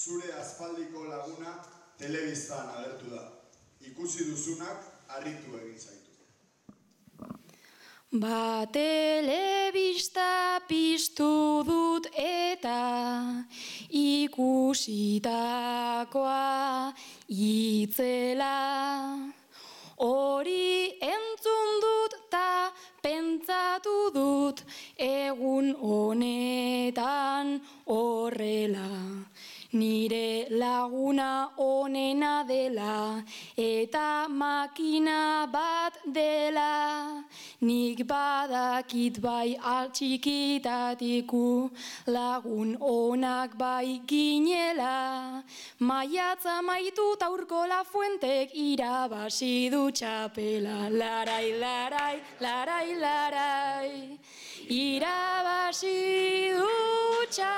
zure aspaldiko laguna telebistan agertu da. Ikusi duzunak harritu egin zaitu. Ba telebista piztu dut eta ikusitakoa itzela. Hori entzun dut ta pentsatu dut egun honetan horrela. Nire laguna onena dela eta makina bat dela. Nik badakit bai altxikitatiku lagun onak bai ginela. Maiatza maitu taurko Lafuentek irabasi du txapela. Larai, larai, larai, larai. Irabasi du txapela.